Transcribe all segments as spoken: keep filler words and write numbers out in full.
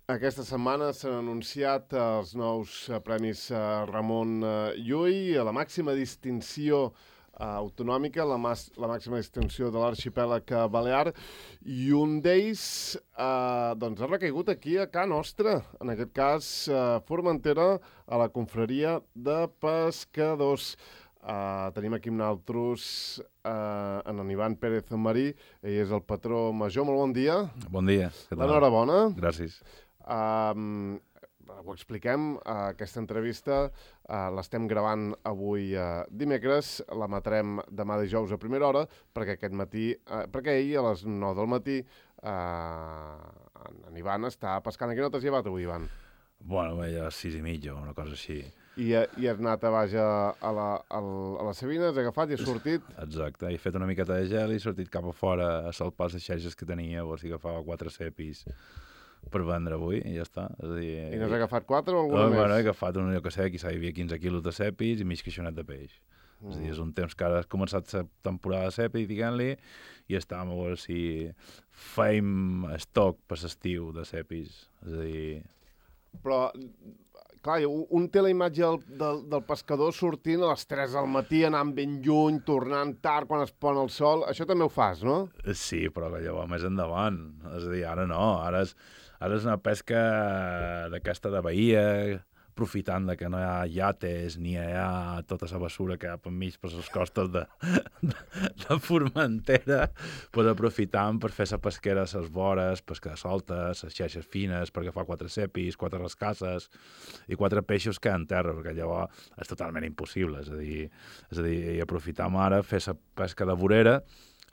Aquesta setmana s'han anunciat els nous eh, premis eh, Ramon eh, Llull, la màxima distinció eh, autonòmica, la, mas, la màxima distinció de l'arxipèlag eh, balear, i un d'ells eh, doncs ha recaigut aquí a Ca Nostra, en aquest cas eh, Formentera, a la confraria de pescadors. Uh, tenim aquí amb nosaltres uh, en Ivan Pérez Marí, ell és el patró major. Molt bon dia. Bon dia. L'enhorabona. Gràcies. Uh, ho expliquem, uh, aquesta entrevista uh, l'estem gravant avui uh, dimecres, la matrem demà dijous a primera hora, perquè aquest matí, uh, perquè ahir a les nou del matí uh, en Ivan està pescant. A quina hora t'has llevat avui, Ivan? Bueno, bé, a les sis i mitja o una cosa així. I, i has anat a baix a, a, la, a, la, a la Sabina, has agafat i has sortit? Exacte, he fet una miqueta de gel i he sortit cap a fora a salpar les xarxes que tenia, o sigui, agafava quatre cepis per vendre avui i ja està. És a dir, I n'has agafat quatre o alguna no, més? Bueno, he agafat un, jo que sé, quizà hi havia quinze quilos de cepis i mig queixonet de peix. Mm. És a dir, és un temps que ara ha començat la temporada de cepi, diguem-li, i estàvem a veure si fèiem estoc per l'estiu de cepis. És a dir... Però, clar, un té la imatge del, del, del pescador sortint a les tres del matí, anant ben lluny, tornant tard quan es pon el sol. Això també ho fas, no? Sí, però que llavors més endavant. És a dir, ara no. Ara és, ara és una pesca d'aquesta de bahia, aprofitant de que no hi ha llates ni hi ha tota la bessura que hi ha per mig per les costes de, de, de Formentera, pues aprofitant per fer la pesquera a les vores, pescar soltes, les xeixes fines, per agafar quatre cepis, quatre rascasses i quatre peixos que en terra, perquè llavors és totalment impossible. És a dir, és a dir i aprofitam ara, fer la pesca de vorera,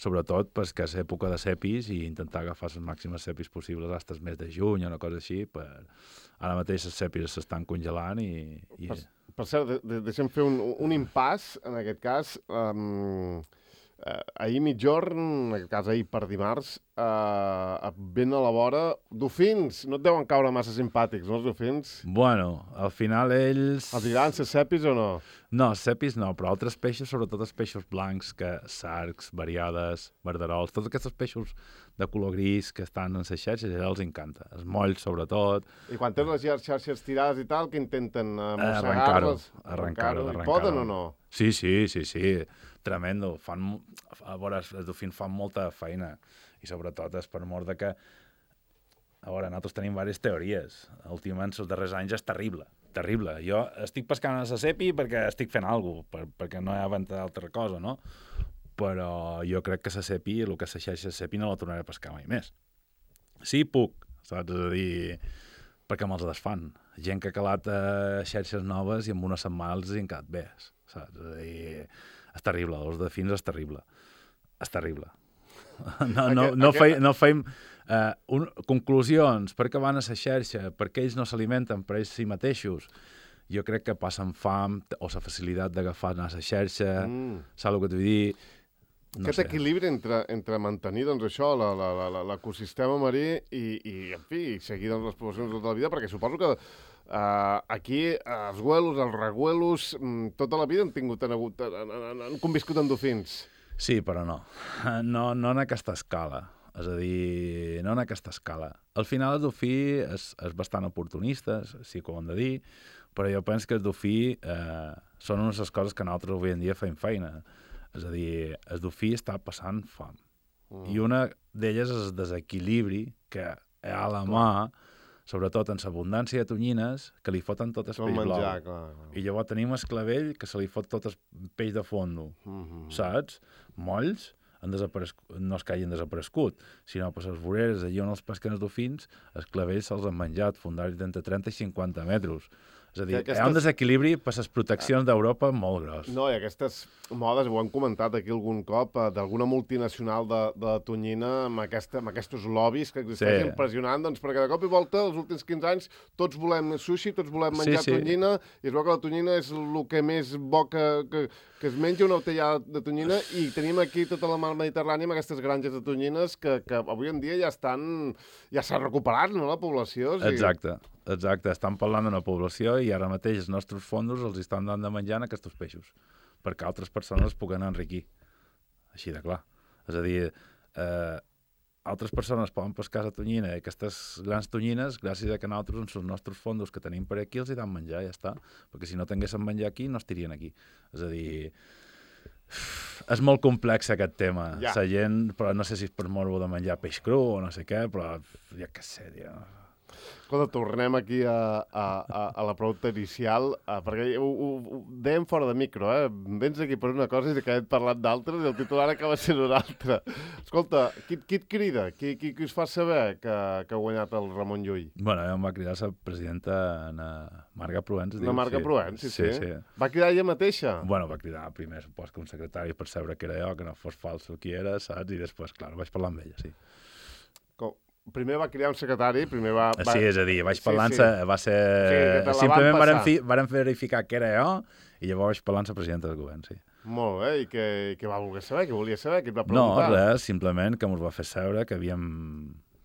sobretot perquè és època de cepis i intentar agafar les màximes cepis possibles fins al mes de juny o una cosa així. Per... Ara mateix les cepis s'estan congelant i... i... Per, per cert, de, de, deixa'm fer un, un impàs, en aquest cas. Um, eh, ahir mitjorn, en aquest cas ahir per dimarts, eh, ben a la vora, dofins. No et deuen caure massa simpàtics, no, els dofins? Bueno, al final ells... Els diran ser cepis o no? No, cepis no, però altres peixos, sobretot els peixos blancs, que sarcs, variades, verderols, tots aquests peixos de color gris que estan en les xarxes, ja els encanta. Els molls, sobretot. I quan tens les xarxes tirades i tal, que intenten uh, mossegar-ho, arrencar-ho? Arrencar-ho, I poden o no? Sí, sí, sí, sí. Tremendo. Fan, a veure, els dofins fan molta feina. I sobretot és per mort de que... A veure, nosaltres tenim diverses teories. Últimament, els darrers anys és terrible. Terrible. Jo estic pescant a la cepi perquè estic fent alguna cosa, per, perquè no hi ha venta d'altra cosa, no? Però jo crec que la cepi, el que és la xarxa de cepi, no la tornaré a pescar mai més. Sí, puc, saps? És a dir, perquè me'ls desfan. Gent que ha calat eh, xarxes noves i en una setmana els han quedat bé, saps? És a dir, és terrible, els dofins és terrible. És terrible. No, no, no, feim, no feim uh, un, conclusions, perquè van a la xarxa, perquè ells no s'alimenten per ells si mateixos. Jo crec que passen fam o la facilitat d'agafar a la xarxa, mm. saps el que t'ho vull dir? No Aquest sé. equilibri entre, entre mantenir doncs, això, l'ecosistema marí i, i, en fi, seguir doncs, les poblacions tota la vida, perquè suposo que uh, aquí els güelos, els reguelos, tota la vida han tingut, han, hagut, han, han, han conviscut amb dofins. Sí, però no. No, no en aquesta escala. És a dir, no en aquesta escala. Al final el dofí és, és bastant oportunista, sí que ho hem de dir, però jo penso que el dofí eh, són unes de les coses que nosaltres avui en dia fem feina. És a dir, el dofí està passant fam. Mm. I una d'elles és el desequilibri que hi ha a la mà, sobretot en l'abundància de tonyines, que li foten tot el peix blau. Clar, clar. I llavors tenim el clavell que se li fot tot el peix de fondo, mm-hmm. saps? Molls han desaparegut, no és que hagin desaparegut, sinó per les voreres, allà on els pesquen els dofins, els clavells se'ls han menjat, fundaris d'entre trenta i cinquanta metres. És a dir, aquestes... hi ha un desequilibri per les proteccions d'Europa molt gros. No, i aquestes modes, ho han comentat aquí algun cop, d'alguna multinacional de, de tonyina amb, aquesta, amb aquests lobbies que existeixen sí. impressionant, doncs perquè de cop i volta, els últims quinze anys, tots volem sushi, tots volem menjar sí, sí. tonyina, i es veu que la tonyina és el que més bo que, que, que es menja una botella de tonyina, i tenim aquí tota la mar Mediterrània amb aquestes granges de tonyines que, que avui en dia ja estan, ja s'ha recuperat, no?, la població. O sigui... Exacte. Exacte, estan parlant d'una població i ara mateix els nostres fondos els estan dant de menjar en aquests peixos, perquè altres persones puguen enriquir. Així de clar. És a dir, eh, altres persones poden pescar la tonyina i aquestes grans tonyines, gràcies a que nosaltres, amb els nostres fondos que tenim per aquí, els hi dan menjar, ja està. Perquè si no tinguéssim menjar aquí, no estirien aquí. És a dir, és molt complex aquest tema. Ja. La gent, però no sé si és per morbo de menjar peix cru o no sé què, però ja què sé, tio. Escolta, tornem aquí a, a, a, a la pregunta inicial, uh, perquè ho, ho, ho dèiem fora de micro, eh? Vens aquí per una cosa i acabem parlant d'altres i el titular acaba sent un altre. Escolta, qui, qui et crida? Qui, qui, qui us fa saber que, que ha guanyat el Ramon Llull? Bueno, em va cridar la presidenta Ana Marga Provenç. Ana Marga sí. Provenç, sí, sí, sí, sí. Va cridar ella mateixa? Bueno, va cridar primer, supos que un secretari per saber que era jo, que no fos fals el qui era, saps? I després, clar, vaig parlar amb ella, sí. Com? Primer va crear un secretari, primer va... va... Sí, és a dir, vaig parlant, sí, sí. va ser... Sí, simplement varen, fi, varen verificar que era jo i llavors vaig parlar amb la presidenta del govern, sí. Molt bé, i què, què va voler saber? Què volia saber? Què et va preguntar? No, res, simplement que ens va fer saber que havíem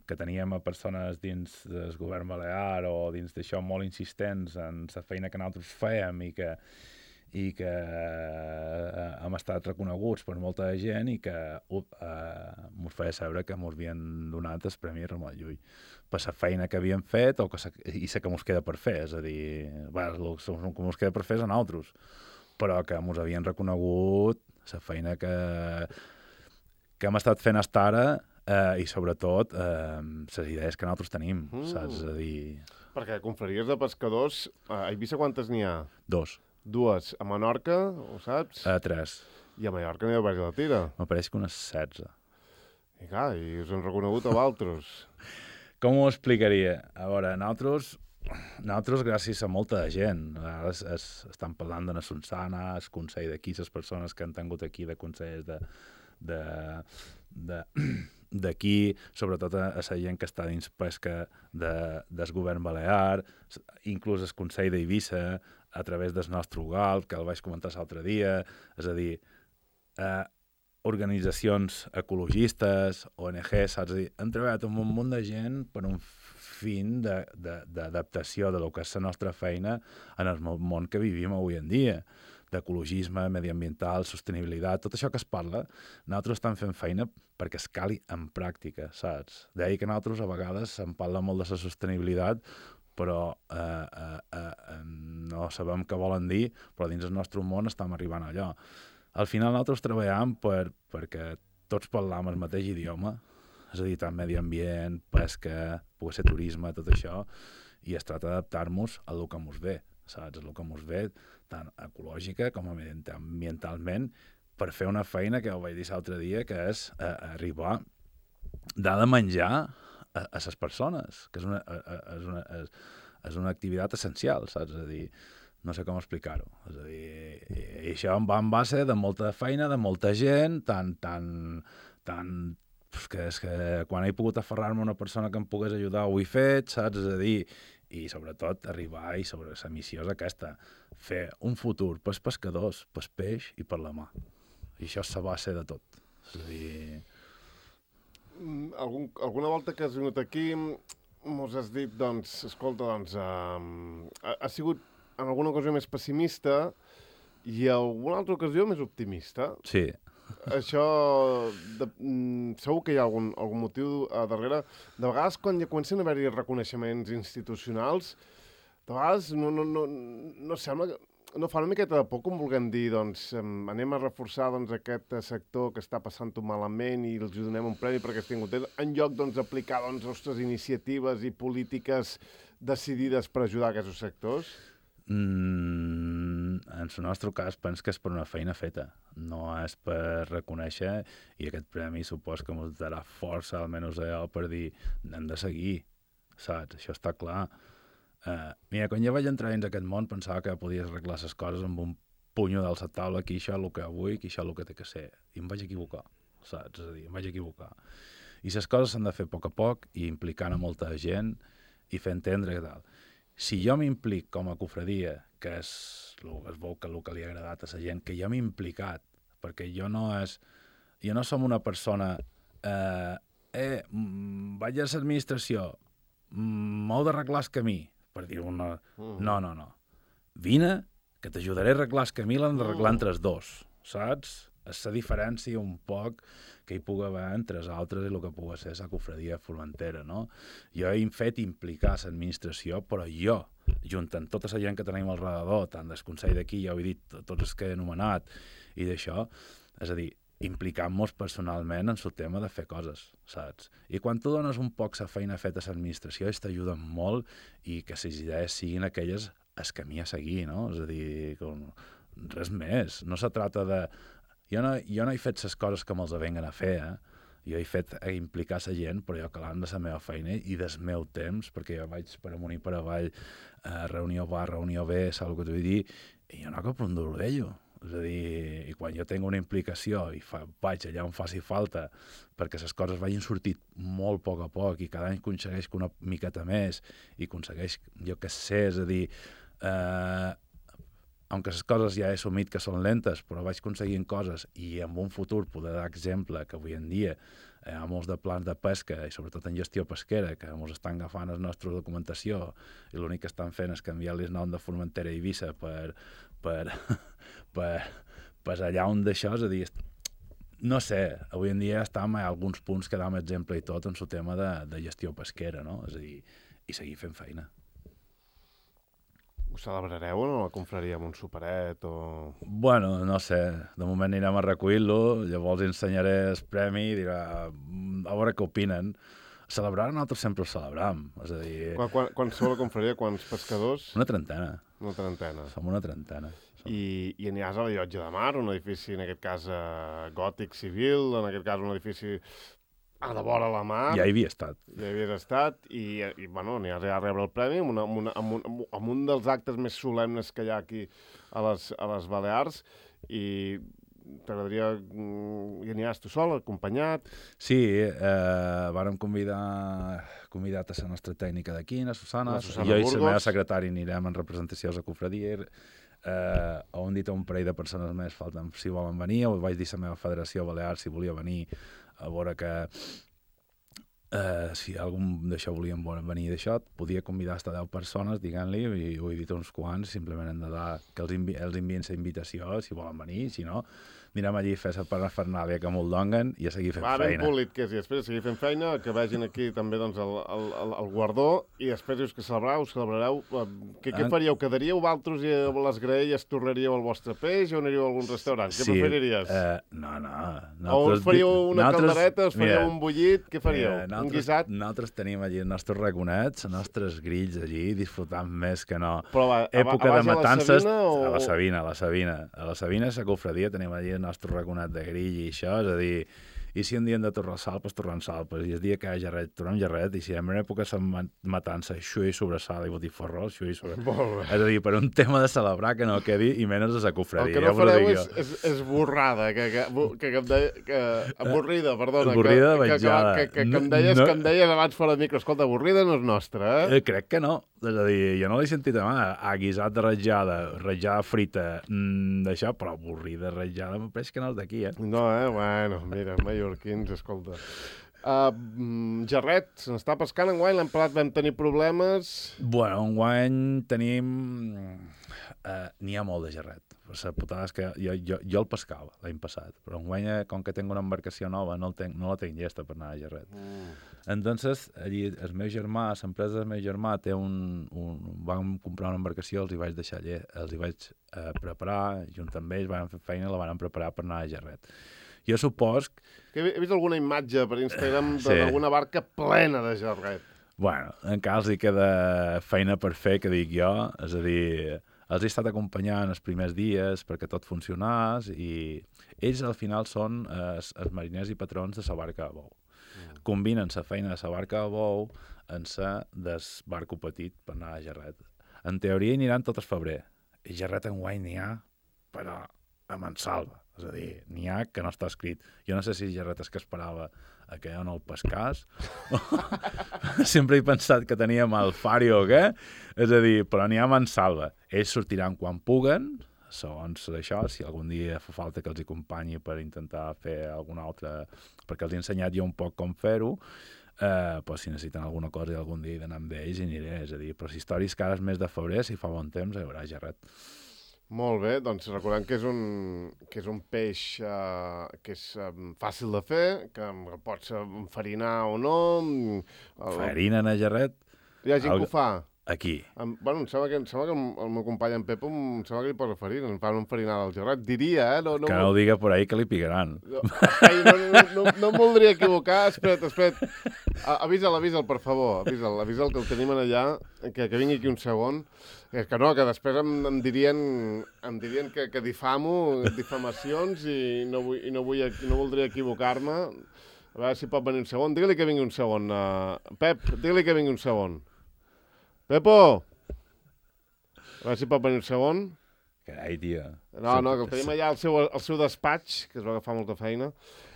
que teníem a persones dins del govern balear o dins d'això molt insistents en la feina que nosaltres fèiem i que i que eh, hem estat reconeguts per molta gent i que uh, eh, mos feia saber que mos havien donat el Premi Ramon Llull per la feina que havíem fet o que sa, i la que mos queda per fer, és a dir, bé, el que mos queda per fer és a nosaltres, però que mos havien reconegut la feina que, que hem estat fent fins ara eh, i sobretot eh, les idees que nosaltres tenim, mm. saps? És a dir... Perquè confraries de pescadors, a Eivissa quantes n'hi ha? Dos. Dues. A Menorca, ho saps? Uh, tres. I a Mallorca n'hi ha d'haver la tira. M'apareix que unes setze. I clar, i us han reconegut a vosaltres. Com ho explicaria? A veure, nosaltres, nosaltres gràcies a molta gent, es, es, estan parlant de la Sonsana, el Consell d'aquí, les persones que han tingut aquí de consells de, de, de, d'aquí, sobretot a, a la gent que està dins pesca de, del govern balear, inclús el Consell d'Eivissa, a través del nostre U G A L, que el vaig comentar l'altre dia, és a dir, eh, organitzacions ecologistes, O N G, saps? És a dir, hem treballat amb un munt de gent per un fin d'adaptació de, de, de lo que és la nostra feina en el món que vivim avui en dia, d'ecologisme, mediambiental, sostenibilitat, tot això que es parla, nosaltres estem fent feina perquè es cali en pràctica, saps? Deia que nosaltres a vegades en parla molt de la sostenibilitat, però eh, eh, eh, no sabem què volen dir, però dins del nostre món estem arribant allò. Al final nosaltres treballem per, perquè tots parlam el mateix idioma, és a dir, tant medi ambient, pesca, pugui ser turisme, tot això, i es tracta d'adaptar-nos a el que ens ve, saps? A el que ens ve, tant ecològica com ambientalment, per fer una feina que ho vaig dir l'altre dia, que és eh, arribar d'ha de menjar a les persones, que és una, és, una, és, és una activitat essencial, saps? És a dir, no sé com explicar-ho. És a dir, i això va en base de molta feina, de molta gent, tan, tan, tan, que és que quan he pogut aferrar-me a una persona que em pogués ajudar ho he fet, saps? És a dir, i sobretot arribar, i sobre la missió és aquesta, fer un futur pels pescadors, pels peix i per la mà. I això és la base de tot. És a dir... Algun, alguna volta que has vingut aquí mos has dit, doncs, escolta, doncs, um, ha, ha sigut en alguna ocasió més pessimista i en alguna altra ocasió més optimista. Sí. Això, de, mm, segur que hi ha algun, algun motiu a darrere. De vegades, quan ja comencen a haver-hi reconeixements institucionals, de vegades no, no, no, no sembla que... No, fa una miqueta de por, com vulguem dir, doncs, anem a reforçar doncs, aquest sector que està passant-ho malament i els donem un premi perquè estiguen contents, en lloc doncs, d'aplicar doncs, les nostres iniciatives i polítiques decidides per ajudar aquests sectors? Mm, en el nostre cas, penso que és per una feina feta, no és per reconèixer, i aquest premi supos que ens darà força, almenys allò, per dir, hem de seguir, saps? Això està clar. Uh, mira, quan jo vaig entrar dins aquest món pensava que podies arreglar les coses amb un punyo dalt la taula, que això és el que vull, que això és el que té que ser. I em vaig equivocar, saps? És a dir, em vaig equivocar. I les coses s'han de fer a poc a poc i implicant a molta gent i fer entendre que tal. Si jo m'implic com a cofradia, que és es veu que el que li ha agradat a la gent, que jo m'he implicat, perquè jo no és... Jo no som una persona... Eh, eh vaig a l'administració, m'heu d'arreglar el camí, per dir-ho una... Mm. No, no, no. Vine, que t'ajudaré a arreglar el camí, l'han d'arreglar entre els dos, saps? és la diferència un poc que hi pugui haver entre els altres i el que pugui ser la cofradia Formentera, no? Jo he fet implicar l'administració, però jo, juntant tota la gent que tenim al redador, tant del Consell d'aquí, ja ho he dit, tots els que he anomenat, i d'això, és a dir, implicant-nos personalment en el tema de fer coses, saps? I quan tu dones un poc la feina feta a l'administració, ells t'ajuden molt i que les idees siguin aquelles el camí a seguir, no? És a dir, com, res més. No se trata de... Jo no, jo no he fet les coses que me'ls venguen a fer, eh? Jo he fet a implicar la gent, però jo calant de la meva feina i del meu temps, perquè jo vaig per amunt i per avall, eh, reunió va, reunió ve, saps el que t'ho vull dir, i jo no cap un duro d'ello. És a dir, i quan jo tinc una implicació i fa, vaig allà on faci falta perquè les coses vagin sortit molt a poc a poc i cada any aconsegueix una miqueta més i aconsegueix, jo què sé, és a dir, eh, aunque les coses ja he assumit que són lentes, però vaig aconseguint coses i en un futur poder dar exemple que avui en dia hi ha molts de plans de pesca i sobretot en gestió pesquera que ens estan agafant la nostra documentació i l'únic que estan fent és canviar-li el nom de Formentera i Eivissa per, per, per, per allà on d'això, és a dir, no sé, avui en dia estem a alguns punts que dam exemple i tot en el tema de, de gestió pesquera, no? És a dir, i seguir fent feina. Ho celebrareu o no la confraria amb un superet o...? Bueno, no sé, de moment anirem a recollir-lo, llavors ensenyaré el premi i dirà, a veure què opinen. Celebrar nosaltres sempre ho celebram, és a dir... Quan, quan, quan sou la confraria, quants pescadors? Una trentena. Una trentena. Som una trentena. Som... I, I aniràs a la Llotja de Mar, un edifici, en aquest cas, eh, gòtic civil, en aquest cas un edifici a la vora la mar. Ja hi havia estat. Ja hi havies estat i, i bueno, aniràs a rebre el premi amb, una, amb, una, amb, un, amb un dels actes més solemnes que hi ha aquí a les, a les Balears i t'agradaria... Hi aniràs tu sol, acompanyat? Sí, eh, vàrem convidar convidat a la nostra tècnica d'aquí, la Susana, la Susana jo Burgos. I la meva secretària anirem en representació a la cofradia. Eh, ho han dit a un parell de persones més, falten si volen venir, ho vaig dir a la meva federació Balear si volia venir a veure que eh, si algun d'això volien venir d'això, podia convidar hasta deu persones, diguent-li, i ho he dit uns quants, simplement hem de dar que els, envi els envien la invitació, si volen venir, si no, anirem allí a fer la parafernàlia que m'ho donguen i a seguir fent Va, feina. Ben polit que és, i després de seguir fent feina, que vegin aquí també doncs, el, el, el, el guardó, i després dius que celebrareu, celebrareu, què, què faríeu? Quedaríeu vosaltres i a les graelles tornaríeu el vostre peix o aniríeu a algun restaurant? Què sí, preferiries? Eh, no, no. O us faríeu una nosaltres, caldereta, us faríeu mira, un bullit, què faríeu? Mira, un guisat? Nosaltres tenim allí els nostres raconets, els nostres grills allí, disfrutant més que no. Però va, època a, de matances, a la Sabina o... A la Sabina, a la Sabina. A la Sabina, a la cofradia, tenim allí el nostre raconet de grill i això, és a dir, i si un dia hem de tornar salpes, tornem salpes, i el dia que hi ha jarret, tornem jarret, i si en una època som matança, xui sobre sal i botifarró, xui sobre... És a dir, per un tema de celebrar que no quedi, i menys a la cofradia. El que no ja fareu és, és, és borrada, que, que, que, que, em deia, que avorrida, perdona. Avorrida que, vetjada. Que, que, que, que, em deies, no, que em deies abans fora de micro, escolta, avorrida no és nostra, eh? eh crec que no. És a dir, jo no l'he sentit a mà, a guisat de ratjada, ratjada frita, mmm, d'això, però avorrida, ratjada, em pareix que no és d'aquí, eh? No, eh? Bueno, mira, mallorquins, escolta. Uh, Jarret, se n'està pescant enguany, l'any passat vam tenir problemes... Bueno, enguany tenim... Uh, N'hi ha molt de jarret. La putada és que jo, jo, jo el pescava l'any passat, però enguany, com que tinc una embarcació nova, no, el tenc, no la tinc llesta per anar a jarret. Mm. Entonces, allí, el meu germà, l'empresa del meu germà, té un, un... Vam comprar una embarcació, els hi vaig deixar allà, els hi vaig uh, preparar, junt amb ells, van fer feina i la van preparar per anar a jarret. Jo supos... Que he vist alguna imatge per Instagram d'alguna sí. barca plena de jarret. Bueno, encara els hi queda feina per fer, que dic jo, és a dir... Els he estat acompanyant els primers dies perquè tot funcionés i ells al final són eh, els mariners i patrons de la barca a bou. Mm. Combinen la feina de la barca a bou amb la del barco petit per anar a jarret. En teoria hi aniran tot el febrer. I jarret enguany n'hi ha, però a mansalva. És a dir, n'hi ha que no està escrit. Jo no sé si jarret és que esperava a que jo no el pescàs. Sempre he pensat que tenia mal fari o què. És a dir, però n'hi ha mansalva. Ells sortiran quan puguen, segons això, si algun dia fa falta que els acompanyi per intentar fer alguna altra... Perquè els he ensenyat jo un poc com fer-ho, eh, però si necessiten alguna cosa i algun dia he d'anar amb ells i aniré. És a dir, però si històries cares mes de febrer, si fa bon temps, hi haurà jarret. Molt bé, doncs recordem que és un, que és un peix uh, que és um, fàcil de fer, que el pots enfarinar o no. El... Farina en jarret? Hi ha gent Alg... que ho fa. Aquí. Em, bueno, em sembla que, em sembla que el meu company en Pepo em sembla que li posa farina, em fa una enfarinada al gerrat. Diria, eh? No, no, que no ho diga por ahí que li picaran. No, ai, no, no, no, no em voldria equivocar. Espera't, espera't. Avisa'l, avisa'l, per favor. Avisa'l, avisa'l que el tenim allà, que, que vingui aquí un segon. És que no, que després em, em dirien, em dirien que, que difamo, difamacions i no, vull, i no, vull, no voldria equivocar-me. A veure si pot venir un segon. Digue-li que vingui un segon. Uh, Pep, digue-li que vingui un segon. Pepo! A veure si pot venir un segon. Carai, tia. No, no, que el tenim allà al seu, al seu despatx, que es va agafar molta feina.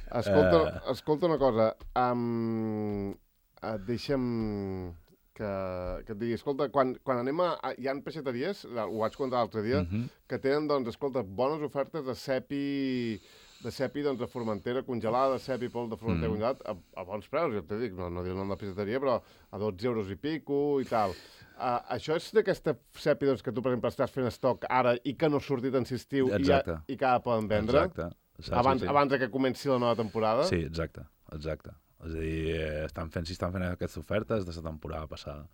Escolta, uh... escolta una cosa. Um, uh, deixa'm que, que et digui, escolta, quan, quan anem a... Hi ha peixateries, ho vaig contar l'altre dia, uh-huh. que tenen, doncs, escolta, bones ofertes de cepi... de cepi doncs, de Formentera congelada, de cepi pol de Formentera mm. congelat, a, a bons preus, ja t'he dit, no, no diré el nom de la peixateria, però a dotze euros i pico i tal. Uh, això és d'aquesta cepi doncs, que tu, per exemple, estàs fent estoc ara i que no ha sortit en estiu i, ja, i que ara poden vendre? Exacte. Saps, abans, sí. abans que comenci la nova temporada? Sí, exacte, exacte. És a dir, estan fent, si estan fent aquestes ofertes de la temporada passada.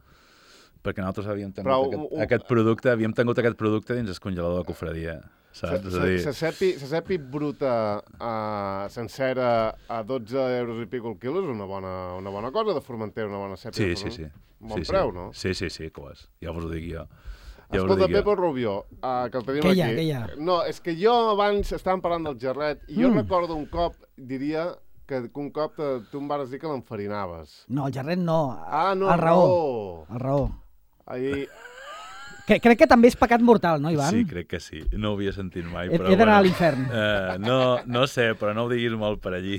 Perquè nosaltres havíem tingut Però, aquest, un... aquest producte, havíem tingut aquest producte dins el congelador de cofradia. Saps? Se, se, se, cepi, se cepi bruta uh, sencera a dotze euros i pico el quilo és una bona, una bona cosa de Formentera, una bona cepi. Sí, sí, sí. Bon sí, preu, sí. no? Sí, sí, sí, que ho és. Ja us ho dic jo. Ja Escolta, dic Pepo jo. Rubió, uh, que el tenim què aquí. Hi ha, què hi ha? No, és que jo abans estàvem parlant del gerret i jo Mm. recordo un cop, diria, que, que un cop te, tu em vas dir que l'enfarinaves. No, el gerret no. Ah, no, el el raó. raó. El raó. Ahir... Que, crec que també és pecat mortal, no, Ivan? Sí, crec que sí. No ho havia sentit mai. He, però, he d'anar bueno, a l'infern. Uh, no, no sé, però no ho diguis molt per allí.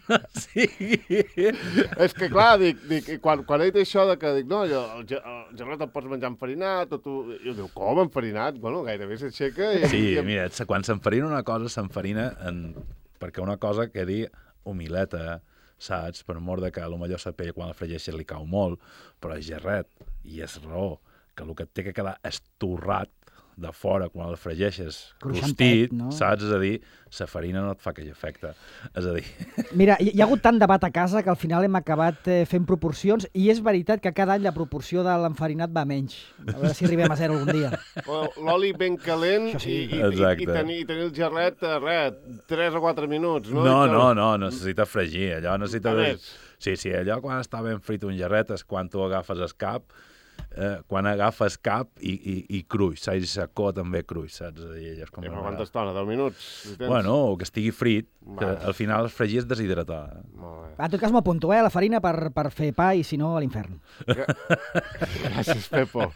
No sigui... És que, clar, dic, dic quan, quan he dit això de que dic, no, jo, el, ge- el gerret el pots menjar enfarinat, o tu... I jo diu, com enfarinat? Bueno, gairebé s'aixeca i... Sí, i... mira, quan s'enfarina una cosa, s'enfarina en... perquè una cosa quedi humileta, saps? Per mort de que potser la pell quan la fregeixes li cau molt, però és gerret, i és raó, que el que et té que quedar estorrat de fora quan el fregeixes Cruixentet, rostit, no? saps? És a dir, la farina no et fa aquell efecte. És a dir... Mira, hi, hi ha hagut tant debat a casa que al final hem acabat eh, fent proporcions i és veritat que cada any la proporció de l'enfarinat va menys. A veure si arribem a zero algun dia. L'oli ben calent Això sí. i, i, i, Exacte. i, tenir, i tenir el gerret, eh, res, tres o quatre minuts, no? No, I que- no, no, necessita fregir. Allò necessita... A més. Sí, sí, allò quan està ben frit un gerret és quan tu agafes el cap, eh, quan agafes cap i, i, i cruix, saps? I secó també cruix, saps? És a dir, allò és com I una per quanta vegada. estona? deu minuts? Si tens... Bueno, que estigui frit, que Va. al final el fregir és deshidratar. Molt bé. En tot cas m'ho apunto, eh, la farina per, per fer pa i si no a l'infern. Gràcies, Pepo.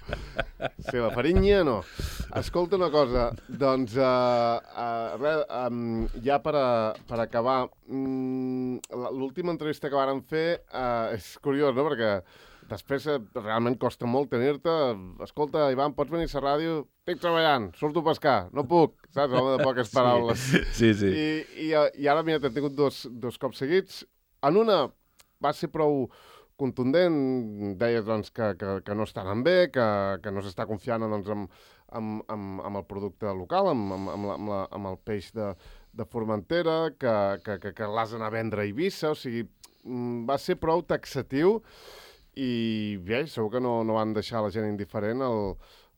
Sí, la farinha no. Escolta una cosa, doncs, uh, uh, res, um, ja per, a, per acabar, um, l'última entrevista que vàrem fer uh, és curiós, no?, perquè després eh, realment costa molt tenir-te. Escolta, Ivan, pots venir a la ràdio? Estic treballant, surto a pescar, no puc, saps? Home de poques paraules. Sí, sí. I, i, I ara, mira, t'he tingut dos, dos cops seguits. En una va ser prou contundent, deies doncs, que, que, que no està anant bé, que, que no s'està confiant doncs, amb, amb, amb, amb el producte local, amb, amb, amb, la, amb, la, amb el peix de, de Formentera, que, que, que, que l'has d'anar a vendre a Eivissa, o sigui, va ser prou taxatiu i bé, segur que no, no van deixar la gent indiferent el,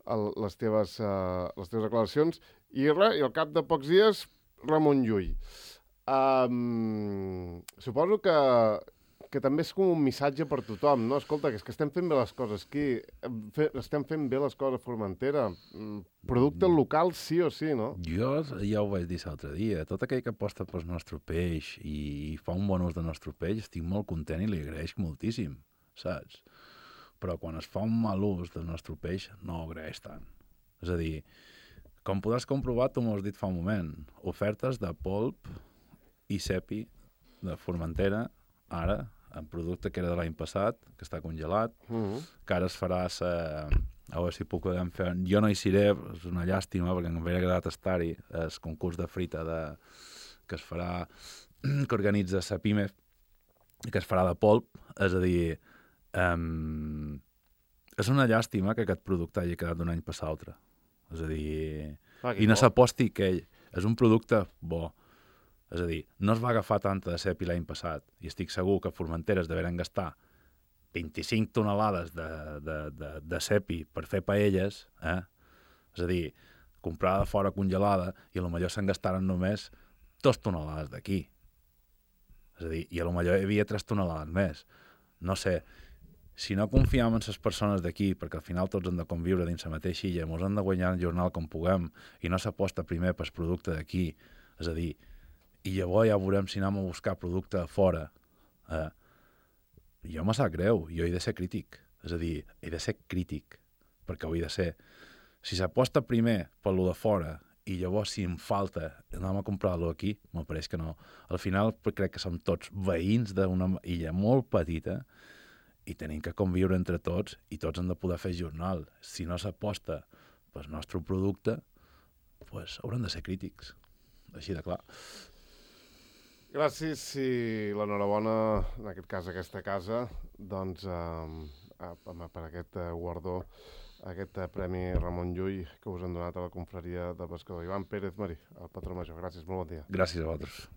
el, les, teves, uh, les teves declaracions. I res, i al cap de pocs dies, Ramon Llull. Um, suposo que, que també és com un missatge per tothom, no? Escolta, que és que estem fent bé les coses aquí, fe, estem fent bé les coses a Formentera. Producte local sí o sí, no? Jo ja ho vaig dir l'altre dia. Tot aquell que aposta pel nostre peix i fa un bon ús del nostre peix, estic molt content i li agraeix moltíssim, saps? Però quan es fa un mal ús del nostre peix, no ho agraeix tant. És a dir, com podràs comprovar, tu m'ho has dit fa un moment, ofertes de polp i cepi de Formentera, ara, en producte que era de l'any passat, que està congelat, Uh-huh. que ara es farà sa... a veure si puc fer... Jo no hi seré, és una llàstima, perquè em hauria agradat estar-hi, el concurs de frita de... que es farà, que organitza la PIME, que es farà de polp, és a dir, um, és una llàstima que aquest producte hagi quedat d'un any per l'altre. És a dir, Ah, que I no bo. s'aposti que ell és un producte bo. És a dir, no es va agafar tanta de cepi l'any passat i estic segur que Formentera es deveren gastar vint-i-cinc tonelades de, de, de, de cepi per fer paelles, eh? És a dir, comprada de fora congelada i potser se'n gastaren només dos tonelades d'aquí. És a dir, i potser hi havia tres tonelades més. No sé, si no confiem en les persones d'aquí, perquè al final tots han de conviure dins la mateixa illa, ens han de guanyar el jornal com puguem i no s'aposta primer pel producte d'aquí, és a dir, i llavors ja veurem si anem a buscar producte de fora. Eh? Jo me sap greu, jo he de ser crític. És a dir, he de ser crític, perquè ho he de ser. Si s'aposta primer per lo de fora i llavors si em falta anem a comprar-lo aquí, me pareix que no. Al final crec que som tots veïns d'una illa molt petita i tenim que conviure entre tots i tots hem de poder fer jornal. Si no s'aposta pel nostre producte, pues haurem de ser crítics. Així de clar. Gràcies i l'enhorabona, en aquest cas, a aquesta casa, doncs, eh, per aquest eh, guardó, aquest eh, Premi Ramon Llull que us han donat a la confraria de pescador. Ivan Pérez Marí, el patró major. Gràcies, molt bon dia. Gràcies a vosaltres.